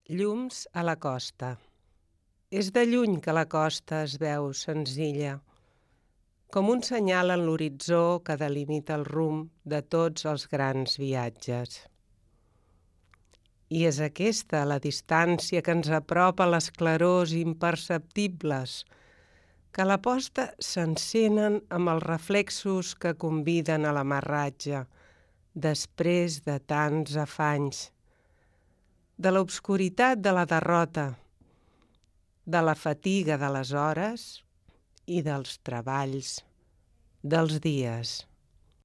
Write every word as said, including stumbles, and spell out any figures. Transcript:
Llums a la costa. És de lluny que la costa es veu senzilla, com un senyal en l'horitzó que delimita el rumb de tots els grans viatges. I és aquesta la distància que ens apropa a les clarors imperceptibles, que a la posta s'encenen amb els reflexos que conviden a l'amarratge, després de tants afanys, de l'obscuritat de la derrota, de la fatiga de les hores i dels treballs dels dies.